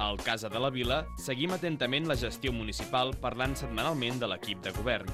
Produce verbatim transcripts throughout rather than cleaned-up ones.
Al Casa de la Vila seguim atentament la gestió municipal parlant setmanalment de l'equip de govern.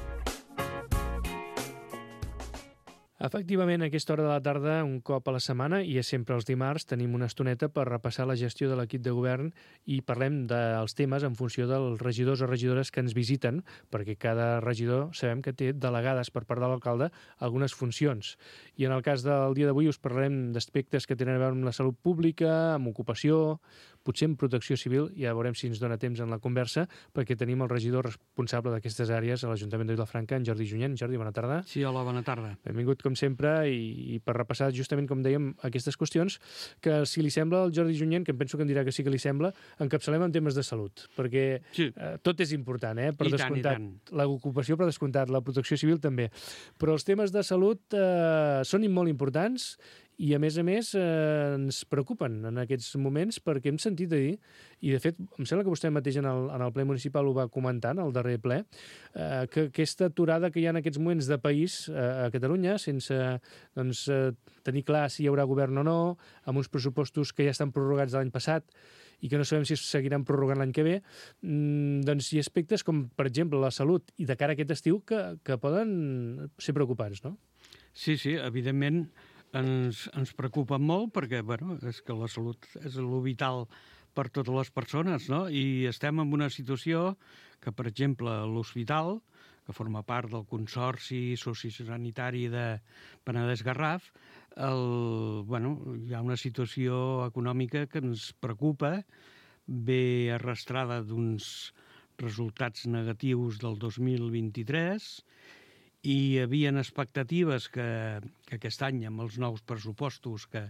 Efectivament, a aquesta hora de la tarda, un cop a la setmana, i és sempre els dimarts, tenim una estoneta per repassar la gestió de l'equip de govern i parlem dels temes en funció dels regidors o regidores que ens visiten, perquè cada regidor sabem que té delegades per part de l'alcalde algunes funcions. I en el cas del dia d'avui us parlarem d'aspectes que tenen a veure amb la salut pública, amb ocupació, potser amb protecció civil, ja veurem si ens dona temps en la conversa, perquè tenim el regidor responsable d'aquestes àrees a l'Ajuntament de Vilafranca, en Jordi Junyent. Jordi, bona tarda. Sí, hola, bona tarda. Benvingut, com sempre, i, i per repassar justament, com dèiem, aquestes qüestions que, si li sembla al Jordi Junyent, que em penso que em dirà que sí que li sembla, encapçalem en temes de salut, perquè sí. eh, tot és important, eh? Per I descomptat, tant, i tant. l'ocupació per descomptat, la protecció civil també, però els temes de salut eh, són molt importants i, a més a més, eh, ens preocupen en aquests moments perquè hem sentit a dir, i de fet, em sembla que vostè mateix en el, en el ple municipal ho va comentar, en el darrer ple, eh, que aquesta aturada que hi ha en aquests moments de país eh, a Catalunya, sense doncs, eh, tenir clar si hi haurà govern o no, amb uns pressupostos que ja estan prorrogats de l'any passat i que no sabem si es seguiran prorrogant l'any que ve, mmm, doncs hi ha aspectes com, per exemple, la salut i de cara a aquest estiu que, que poden ser preocupants, no? Sí, sí, evidentment ens, ens preocupa molt perquè, bueno, és que la salut és el vital per totes les persones, no? I estem en una situació que, per exemple, l'hospital, que forma part del Consorci Sociosanitari de Penedès-Garraf, el, bueno, hi ha una situació econòmica que ens preocupa, ve arrastrada d'uns resultats negatius del dos mil vint-i-tres, i hi havia expectatives que, que aquest any, amb els nous pressupostos que,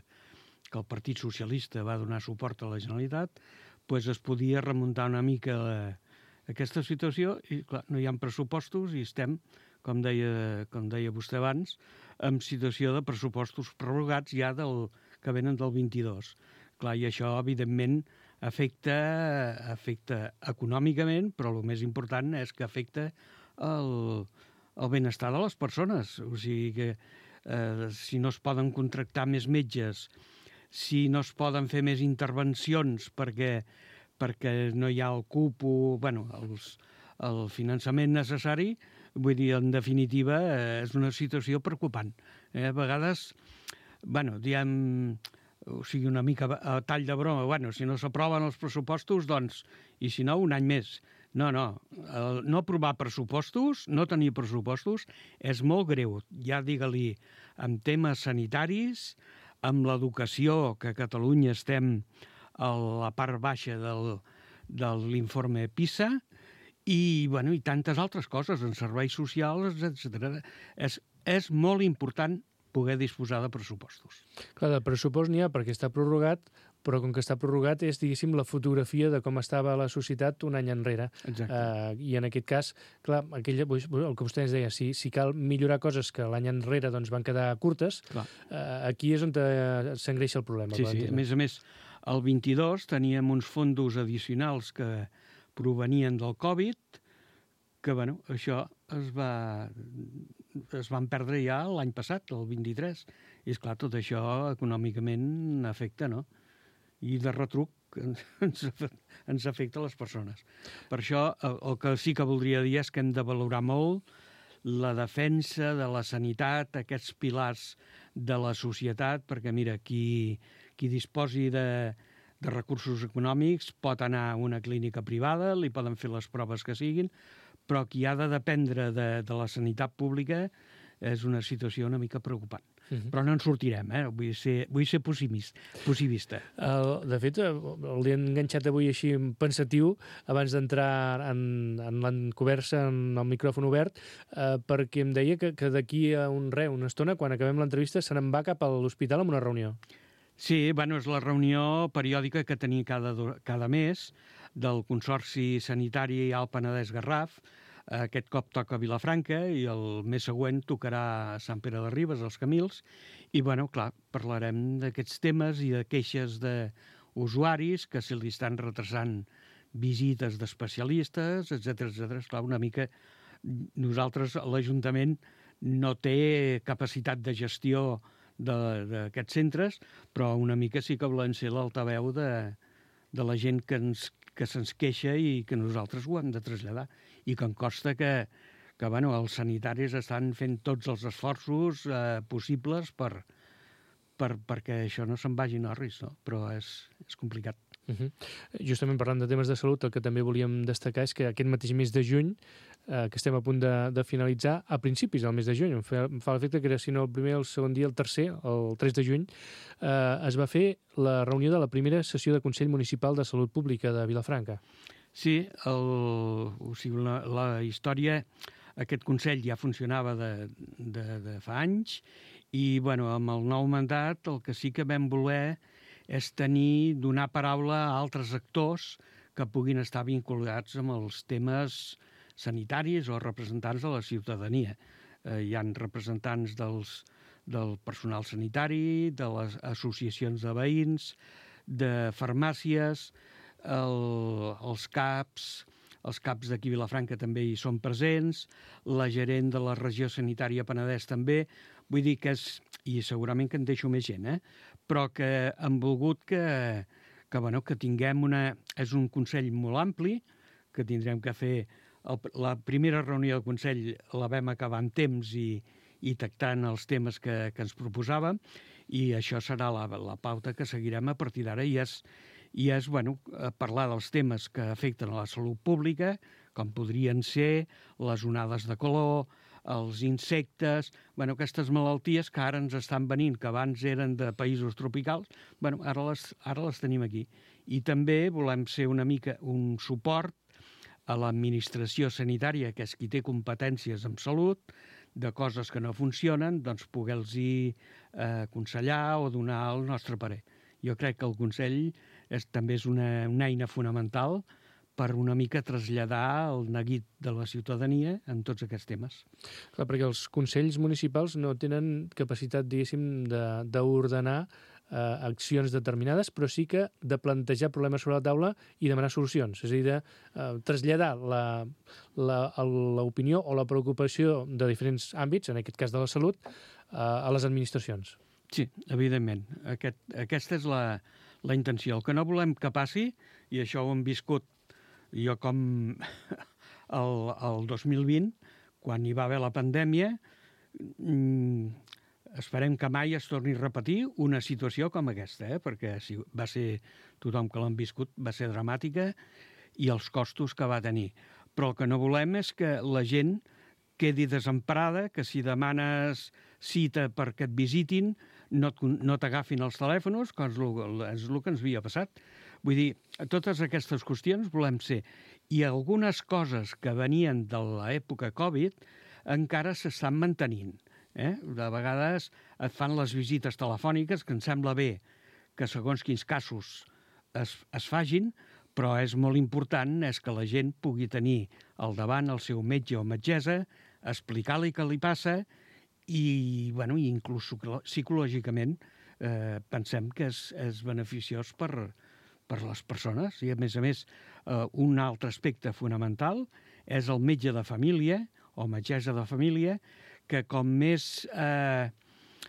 que el Partit Socialista va donar suport a la Generalitat, pues es podia remuntar una mica la, aquesta situació i, clar, no hi ha pressupostos i estem, com deia, com deia vostè abans, en situació de pressupostos prorrogats ja del, que venen del vint-i-dos. Clar, i això, evidentment, afecta, afecta econòmicament, però el més important és que afecta el el benestar de les persones. O sigui que eh, si no es poden contractar més metges, si no es poden fer més intervencions perquè, perquè no hi ha el cupo, bueno, els, el finançament necessari, vull dir, en definitiva, eh, és una situació preocupant. Eh, a vegades, bueno, diem, o sigui, una mica a tall de broma, bueno, si no s'aproven els pressupostos, doncs, i si no, un any més. No, no, el no aprovar pressupostos, no tenir pressupostos, és molt greu. Ja digue-li, amb temes sanitaris, amb l'educació, que a Catalunya estem a la part baixa del, de l'informe PISA, i, bueno, i tantes altres coses, en serveis socials, etcètera. És, és molt important poder disposar de pressupostos. Clar, de pressupost n'hi ha perquè està prorrogat, però com que està prorrogat és, diguéssim, la fotografia de com estava la societat un any enrere. Exacte. Uh, I en aquest cas, clar, aquell, el que vostè ens deia, si, si cal millorar coses que l'any enrere doncs, van quedar curtes, uh, aquí és on s'engreixa el problema. Sí, sí, a més a més, el vint-i-dos teníem uns fondos addicionals que provenien del Covid, que, bueno, això es va es van perdre ja l'any passat, el vint-i-tres, i, esclar, tot això econòmicament afecta, no? I de retruc ens, ens afecta a les persones. Per això, el, el que sí que voldria dir és que hem de valorar molt la defensa de la sanitat, aquests pilars de la societat, perquè, mira, qui, qui disposi de, de recursos econòmics pot anar a una clínica privada, li poden fer les proves que siguin, però qui ha de dependre de, de la sanitat pública és una situació una mica preocupant. Uh-huh. Però no en sortirem, eh? Vull ser, vull ser possibilista. El, de fet, l'he enganxat avui així pensatiu, abans d'entrar en, en l'encoberta, en el micròfon obert, eh, perquè em deia que, que d'aquí a un re, una estona, quan acabem l'entrevista, se n'en va cap a l'hospital amb una reunió. Sí, bueno, és la reunió periòdica que tenim cada, cada mes del Consorci Sanitari Alt Penedès-Garraf. Aquest cop toca a Vilafranca i el mes següent tocarà a Sant Pere de Ribes, als Camils. I, bueno, clar, parlarem d'aquests temes i de queixes d'usuaris que se li estan retrasant visites d'especialistes, etcètera, etcètera. Esclar, una mica nosaltres, l'Ajuntament, no té capacitat de gestió d'aquests centres, però una mica sí que volem ser l'altaveu de, de la gent que ens que se'ns queixa i que nosaltres ho hem de traslladar. I que em consta que, que bueno, els sanitaris estan fent tots els esforços eh, possibles per, per, perquè això no se'n vagi a risc, no? Però és, és complicat. Uh-huh. Justament parlant de temes de salut, el que també volíem destacar és que aquest mateix mes de juny, eh, que estem a punt de, de finalitzar, a principis del mes de juny, em fa, em fa l'efecte que era, si no el primer, el segon dia, el tercer, el tres de juny, eh, es va fer la reunió de la primera sessió de Consell Municipal de Salut Pública de Vilafranca. Sí, el, o sigui, la, la història, aquest Consell ja funcionava de, de, de fa anys i, bueno, amb el nou mandat el que sí que vam voler és tenir, donar paraula a altres actors que puguin estar vinculats amb els temes sanitaris o representants de la ciutadania. Eh, hi ha representants dels, del personal sanitari, de les associacions de veïns, de farmàcies, el, els CAPs, els CAPs d'aquí a Vilafranca també hi són presents, la gerent de la regió sanitària Penedès també. Vull dir que és, i segurament que en deixo més gent, eh? Però que han volgut que, que, bueno, que tinguem una... És un Consell molt ampli, que tindrem que fer... El, la primera reunió del Consell la vam acabar en temps i, i tractant els temes que, que ens proposàvem, i això serà la, la pauta que seguirem a partir d'ara, i és, i és bueno, parlar dels temes que afecten a la salut pública, com podrien ser les onades de calor, els insectes, bueno, aquestes malalties que ara ens estan venint, que abans eren de països tropicals, bueno, ara les, ara les tenim aquí. I també volem ser una mica un suport a l'administració sanitària, que és qui té competències en salut, de coses que no funcionen, doncs poder-los eh, aconsellar o donar el nostre parer. Jo crec que el Consell és, també és una, una eina fonamental per una mica traslladar el neguit de la ciutadania en tots aquests temes. Clar, perquè els consells municipals no tenen capacitat, diguéssim, d'ordenar eh, accions determinades, però sí que de plantejar problemes sobre la taula i demanar solucions. És a dir, de eh, traslladar l'opinió o la preocupació de diferents àmbits, en aquest cas de la salut, eh, a les administracions. Sí, evidentment. Aquest, aquesta és la, la intenció. El que no volem que passi, i això ho hem viscut jo com el, el dos mil vint, quan hi va haver la pandèmia, mmm, esperem que mai es torni a repetir una situació com aquesta, eh? Perquè si va ser, tothom que l'han viscut, va ser dramàtica i els costos que va tenir. Però el que no volem és que la gent quedi desemparada, que si demanes cita perquè et visitin, no, no t'agafin els telèfons, que és el, és el que ens havia passat. Vull dir, totes aquestes qüestions volem ser. I algunes coses que venien de l'època Covid encara s'estan mantenint. Eh? De vegades et fan les visites telefòniques, que em sembla bé que segons quins casos es, es fagin, però és molt important és que la gent pugui tenir al davant el seu metge o metgessa, explicar-li què li passa i, bueno, inclús psicològicament eh, pensem que és, és beneficiós per, per les persones. I, a més a més, eh, un altre aspecte fonamental és el metge de família o metgessa de família, que com més eh,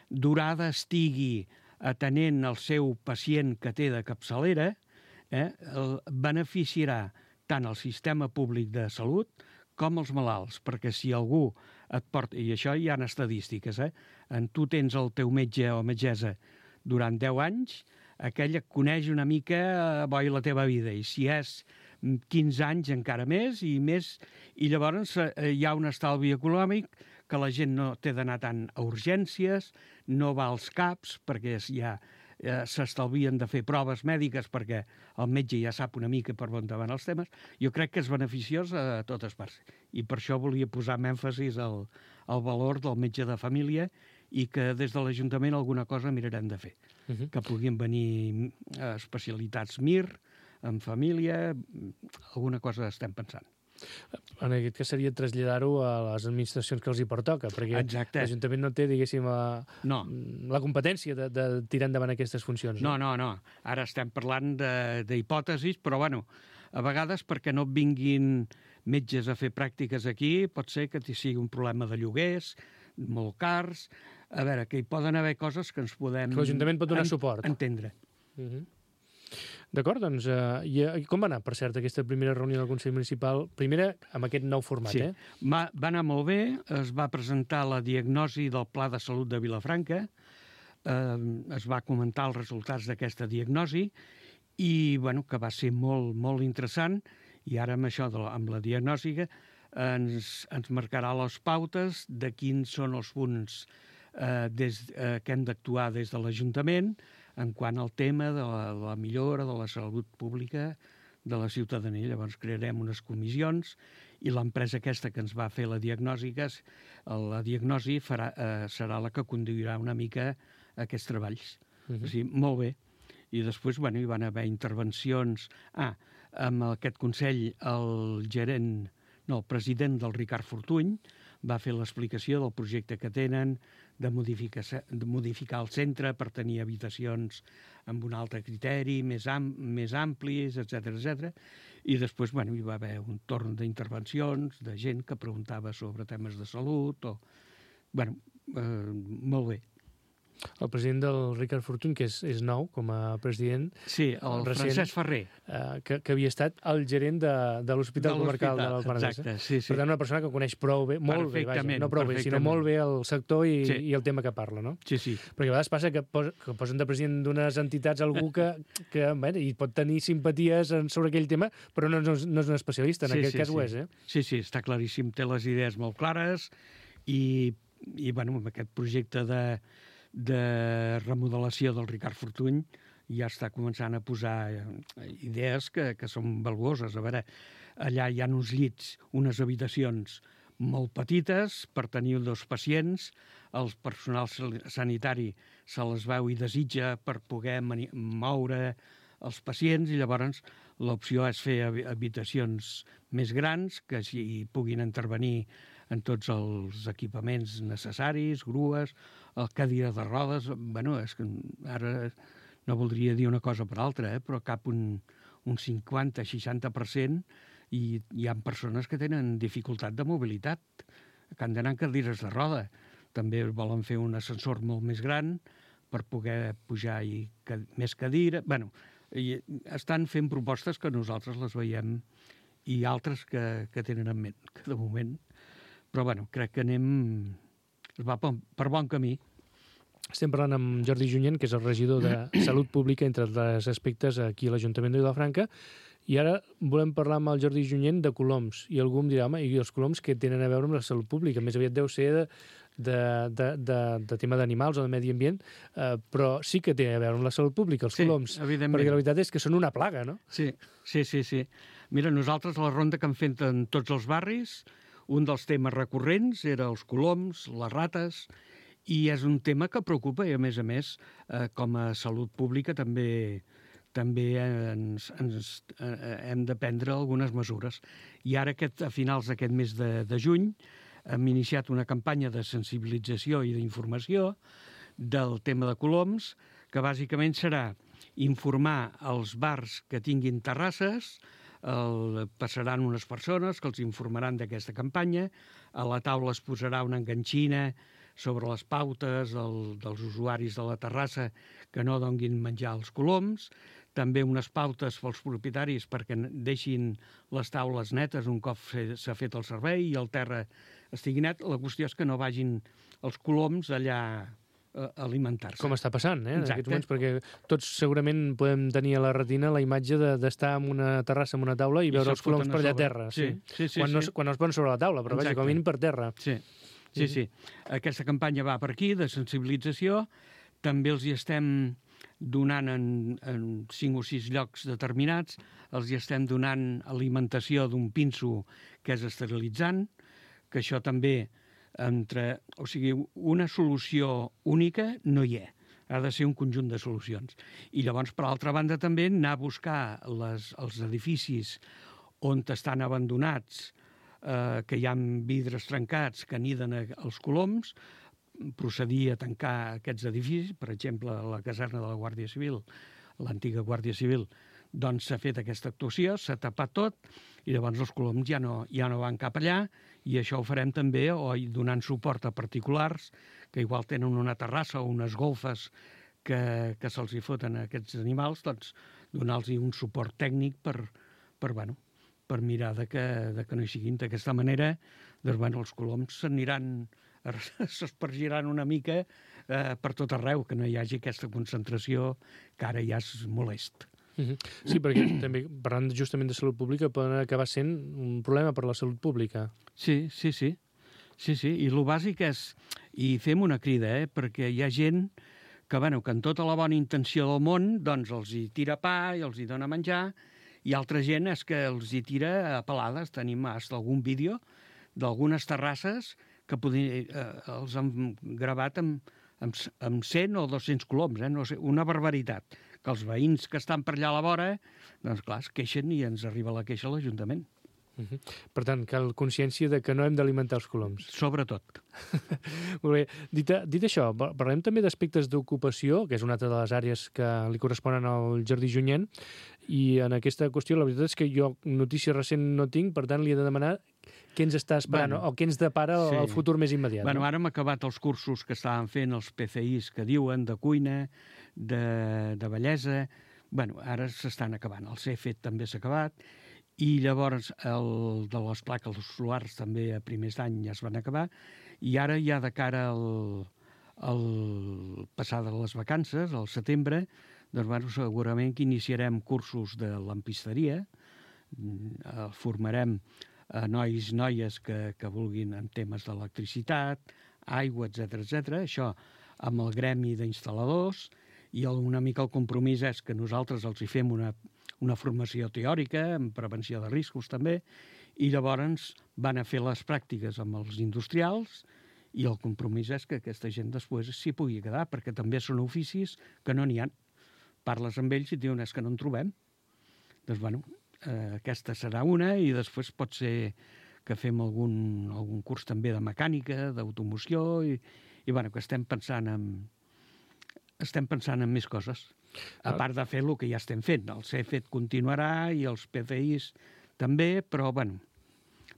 durada estigui atenent el seu pacient que té de capçalera, eh, el beneficiarà tant el sistema públic de salut com els malalts, perquè si algú et porta... I això hi ha estadístiques, eh? En tu tens el teu metge o metgessa durant deu anys, aquell et coneix una mica eh, bo i la teva vida, i si és quinze anys encara més, i més, i llavors eh, hi ha un estalvi econòmic que la gent no té d'anar tant a urgències, no va als CAPs, perquè ja eh, s'estalvien de fer proves mèdiques perquè el metge ja sap una mica per on van els temes. Jo crec que és beneficiós a totes parts. I per això volia posar amb èmfasis al, al valor del metge de família i que des de l'Ajuntament alguna cosa mirarem de fer. Uh-huh. Que puguin venir especialitats M I R, en família, alguna cosa estem pensant. En aquest cas seria traslladar-ho a les administracions que els hi pertoca, perquè l'Ajuntament no té, diguéssim, la, no. la competència de, de tirar endavant aquestes funcions. No, no, no. Ara estem parlant d'hipòtesis, però, bueno, a vegades perquè no vinguin metges a fer pràctiques aquí, pot ser que sigui un problema de lloguers, molt cars. A veure, que hi poden haver coses que ens podem... Que l'Ajuntament pot donar suport. Entendre. Uh-huh. D'acord, doncs, uh, i, i com va anar, per cert, aquesta primera reunió del Consell Municipal? Primera, amb aquest nou format, sí. eh? Va, va anar molt bé, es va presentar la diagnosi del Pla de Salut de Vilafranca, eh, es va comentar els resultats d'aquesta diagnosi, i bueno, que va ser molt, molt interessant, i ara amb això, de la, amb la diagnosi, ens, ens marcarà les pautes de quins són els punts eh, des, eh, que hem d'actuar des de l'Ajuntament en quant al tema de la, de la millora de la salut pública de la ciutadania. Llavors crearem unes comissions i l'empresa aquesta que ens va fer la diagnosi, la diagnosi farà, eh, serà la que conduirà una mica aquests treballs. Uh-huh. O sigui, molt bé. I després, bueno, hi van haver intervencions. Ah, amb aquest Consell, el gerent, no, el president del Ricard Fortuny va fer l'explicació del projecte que tenen de modificar, de modificar el centre per tenir habitacions amb un altre criteri, més, am, més amplis, etcètera, etcètera. I després, bueno, hi va haver un torn d'intervencions de gent que preguntava sobre temes de salut o... Bueno, eh, molt bé. El president del Ricard Fortuny, que és, és nou com a president... Sí, el recent, Francesc Ferrer. Eh, que, que havia estat el gerent de, de l'Hospital Comarcal de l'Alpenedès. Exacte, sí, sí. Per tant, una persona que coneix prou bé, molt bé, vaja, no prou bé, sinó molt bé el sector i, sí. i el tema que parla, no? Sí, sí. Perquè a vegades passa que, pos, que posen de president d'unes entitats algú que, que bé, i pot tenir simpaties sobre aquell tema, però no, no, no és un especialista, en sí, aquest sí, cas sí. ho és, eh? Sí, sí, està claríssim, té les idees molt clares i, i bueno, amb aquest projecte de de remodelació del Ricard Fortuny ja està començant a posar idees que, que són valuoses. A veure, allà hi ha uns llits, unes habitacions molt petites per tenir dos pacients, el personal sanitari se les veu i desitja per poder moure els pacients i llavors l'opció és fer habitacions més grans que hi puguin intervenir en tots els equipaments necessaris, grues, el cadira de rodes. Bueno, és que ara no voldria dir una cosa per altra, eh, però cap un, un cinquanta a seixanta per cent i hi ha persones que tenen dificultat de mobilitat, que han d'anar en cadires de roda. També volen fer un ascensor molt més gran per poder pujar i que, més cadira. Bueno, i estan fent propostes que nosaltres les veiem i altres que, que tenen en ment, que de moment... Però, bueno, crec que anem... Es va per, per bon camí. Estem parlant amb Jordi Junyent, que és el regidor de Salut Pública, entre altres aspectes, aquí a l'Ajuntament de Vilafranca, i ara volem parlar amb el Jordi Junyent de coloms. I algú em dirà, home, i els coloms que tenen a veure amb la salut pública? Més aviat deu ser de, de, de, de, de tema d'animals o de medi ambient, eh, però sí que té a veure amb la salut pública, els sí, coloms. Evidentment. Perquè la veritat és que són una plaga, no? Sí, sí, sí, sí. Mira, nosaltres a la ronda que hem fet en tots els barris, un dels temes recurrents era els coloms, les rates, i és un tema que preocupa i, a més a més, eh, com a salut pública també també ens, ens eh, hem de prendre algunes mesures. I ara, aquest, a finals d'aquest mes de, de juny, hem iniciat una campanya de sensibilització i d'informació del tema de coloms, que bàsicament serà informar els bars que tinguin terrasses. El, passaran unes persones que els informaran d'aquesta campanya. A la taula es posarà una enganxina sobre les pautes del, dels usuaris de la terrassa que no donguin menjar als coloms. També unes pautes pels propietaris perquè deixin les taules netes un cop s'ha fet el servei i el terra estigui net. La qüestió és que no vagin els coloms allà a alimentar-se. Com està passant, eh, en aquests moments, perquè tots segurament podem tenir a la retina la imatge d'estar de, en una terrassa, en una taula i, I veure els coloms per allà a terra. Sí, sí, sí. Quan, sí. No, quan no es posen sobre la taula, però vaja, com a mínim per terra. Sí, sí, sí. Aquesta campanya va per aquí, de sensibilització. També els hi estem donant en, en cinc o sis llocs determinats, els hi estem donant alimentació d'un pinso que és esterilitzant, que això també entre... O sigui, una solució única no hi ha. Ha de ser un conjunt de solucions. I llavors, per altra banda, també anar a buscar les, els edificis on estan abandonats, eh, que hi ha vidres trencats, que aniden els coloms, procedir a tancar aquests edificis, per exemple, la caserna de la Guàrdia Civil, l'antiga Guàrdia Civil, doncs s'ha fet aquesta actuació, s'ha tapat tot, i llavors els coloms ja no, ja no van cap allà, i això ho farem també o donant suport a particulars que igual tenen una terrassa o unes golfes que, que se'ls hi foten a aquests animals, doncs donar-los un suport tècnic per, per, bueno, per mirar de que, de que no hi siguin. D'aquesta manera, doncs, bueno, els coloms s'aniran, s'espargiran una mica eh, per tot arreu, que no hi hagi aquesta concentració que ara ja és molest. Uh-huh. Sí, perquè també, parlant justament de salut pública, poden acabar sent un problema per la salut pública. Sí, sí, sí. Sí, sí, i el bàsic és, i fem una crida, eh, perquè hi ha gent que, bueno, que en tota la bona intenció del món, doncs els hi tira pa i els hi dona menjar, i altra gent és que els hi tira a pelades. Tenim hasta algun vídeo d'algunes terrasses que podien, eh, els han gravat amb, amb, amb cent o dos-cents coloms, eh, no sé, una barbaritat. Que els veïns que estan per allà a la vora, doncs clar, es queixen i ens arriba la queixa a l'Ajuntament. Uh-huh. Per tant, cal consciència de que no hem d'alimentar els coloms. Sobretot. Molt bé. Dit, dit això, parlem també d'aspectes d'ocupació, que és una altra de les àrees que li corresponen al Jardí Junyent, i en aquesta qüestió la veritat és que jo notícia recent no tinc, per tant li he de demanar què ens està esperant, bueno, o què ens depara sí. el futur més immediat. Bueno, no? Ara hem acabat els cursos que estaven fent els P C Is que diuen, de cuina, de, de bellesa. Bueno, ara s'estan acabant. El C E F E T també s'ha acabat, i llavors el de les plaques solars també a primers d'any ja es van acabar, i ara ja de cara al, al passar de les vacances, al setembre, doncs bueno, segurament que iniciarem cursos de lampisteria, formarem a nois i noies que, que vulguin en temes d'electricitat, aigua, etcètera, etcètera. Això amb el gremi d'instal·ladors, i una mica el compromís és que nosaltres els hi fem una una formació teòrica, en prevenció de riscos també, i llavors van a fer les pràctiques amb els industrials, i el compromís és que aquesta gent després s'hi pugui quedar, perquè també són oficis que no n'hi ha. Parles amb ells i et diuen, és que no en trobem. Doncs, bueno, eh, aquesta serà una, i després pot ser que fem algun, algun curs també de mecànica, d'automoció, i, i bueno, que estem pensant en, estem pensant en més coses. A part de fer el que ja estem fent. El C E F E T continuarà i els P C Is també, però, bueno,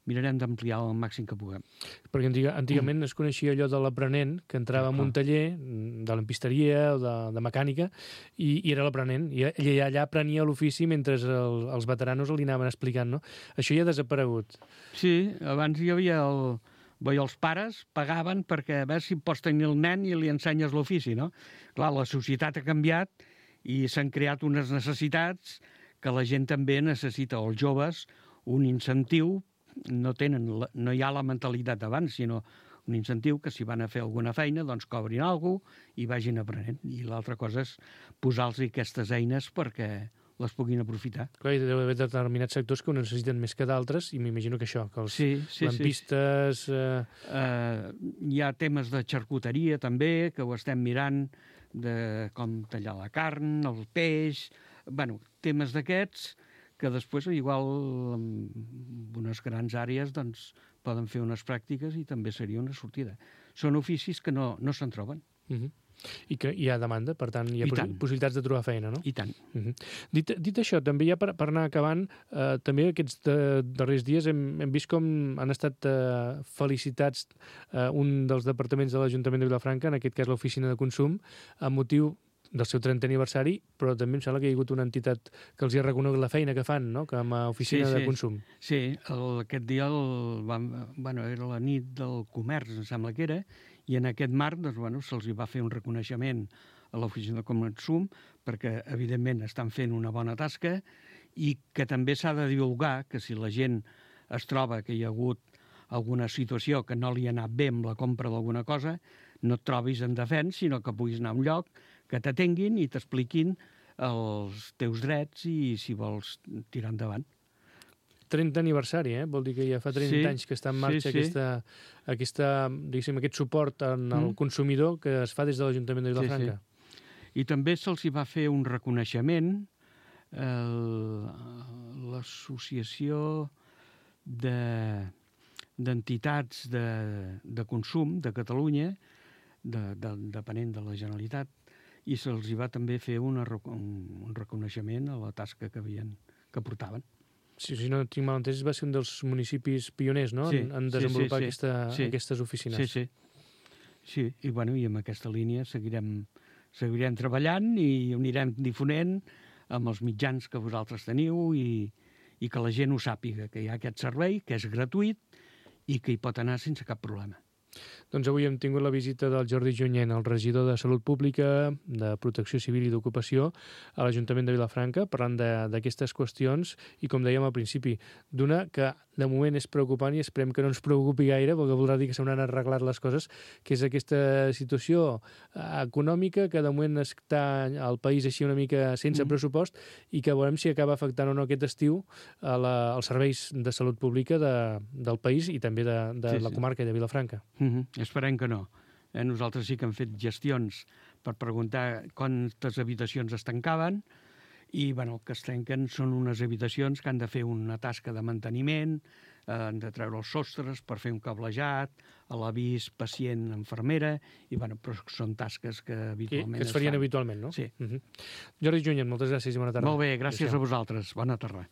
mirarem d'ampliar el màxim que puguem. Perquè antiga, antigament mm. es coneixia allò de l'aprenent, que entrava en un taller de lampisteria o de, de mecànica, i, i era l'aprenent, i, i allà aprenia l'ofici mentre el, els veteranos li anaven explicant, no? Això ja ha desaparegut. Sí, abans hi havia el... Bé, els pares pagaven perquè a veure si pots tenir el nen i li ensenyes l'ofici, no? Clar, la societat ha canviat i s'han creat unes necessitats que la gent també necessita, o els joves, un incentiu, no tenen, no hi ha la mentalitat d'abans, sinó un incentiu que si van a fer alguna feina, doncs cobrin alguna cosa i vagin aprenent. I l'altra cosa és posar-los aquestes eines perquè les puguin aprofitar. Clar, hi deu haver determinats sectors que ho necessiten més que d'altres, i m'imagino que això, que els sí, sí, lampistes... Sí. Eh... Uh, hi ha temes de xarcuteria també, que ho estem mirant, de com tallar la carn, el peix... Bueno, temes d'aquests que després, igual, en unes grans àrees, doncs, poden fer unes pràctiques i també seria una sortida. Són oficis que no, no se'n troben. Uh-huh. I que hi ha demanda, per tant, hi ha poss possibilitats de trobar feina, no? I tant. Uh-huh. dit, dit això, també ja per, per anar acabant, eh, també aquests de, darrers dies hem, hem vist com han estat eh, felicitats eh, un dels departaments de l'Ajuntament de Vilafranca, en aquest cas l'Oficina de Consum, amb motiu del seu trentè aniversari, però també em sembla que hi ha hagut una entitat que els hi ha reconegut la feina que fan, no?, com a Oficina sí, sí. de Consum. Sí, el, aquest dia el, vam, bueno, era la nit del comerç, em sembla que era, i en aquest marc doncs, bueno, se'ls va fer un reconeixement a l'Oficina de Consum perquè, evidentment, estan fent una bona tasca i que també s'ha de divulgar que si la gent es troba que hi ha hagut alguna situació que no li ha anat bé amb la compra d'alguna cosa, no et trobis en defens, sinó que puguis anar a un lloc que t'atenguin i t'expliquin els teus drets i si vols tirar endavant. trentè aniversari, eh? Vol dir que ja fa trenta sí, anys que està en marxa sí, sí. aquesta, aquesta, diguéssim, aquest suport en el mm. consumidor que es fa des de l'Ajuntament de Vilafranca. Sí, sí. I també se'ls hi va fer un reconeixement l'associació de d'entitats de, de consum de Catalunya, de, de, depenent de la Generalitat, i se'ls hi va també fer una, un, un reconeixement a la tasca que havien, que portaven. Sí, si no tinc mal entès, va ser un dels municipis pioners, no?, sí, en, en desenvolupar sí, sí, sí. Aquesta, sí. aquestes oficines. Sí, sí. Sí, i, bueno, i amb aquesta línia seguirem, seguirem treballant i ho anirem difonent amb els mitjans que vosaltres teniu i, i que la gent ho sàpiga, que hi ha aquest servei, que és gratuït i que hi pot anar sense cap problema. Doncs avui hem tingut la visita del Jordi Junyent, el regidor de Salut Pública, de Protecció Civil i d'Ocupació a l'Ajuntament de Vilafranca, parlant d'aquestes qüestions i, com dèiem al principi, d'una que de moment és preocupant i esperem que no ens preocupi gaire, perquè voldrà dir que s'hauran arreglat les coses, que és aquesta situació econòmica que de moment està al país així una mica sense mm. pressupost i que veurem si acaba afectant o no aquest estiu a la, als serveis de salut pública de, del país i també de, de sí, la comarca de Vilafranca. Mm-hmm. Esperem que no. Eh, nosaltres sí que hem fet gestions per preguntar quantes habitacions es tancaven i bueno, el que es tanquen són unes habitacions que han de fer una tasca de manteniment, eh, han de treure els sostres per fer un cablejat, a l'avís pacient-enfermera, i bueno, però són tasques que habitualment que es farien es habitualment, no? Sí. Uh-huh. Jordi Junyent, moltes gràcies i bona tarda. Molt bé, gràcies a vosaltres. Bona tarda.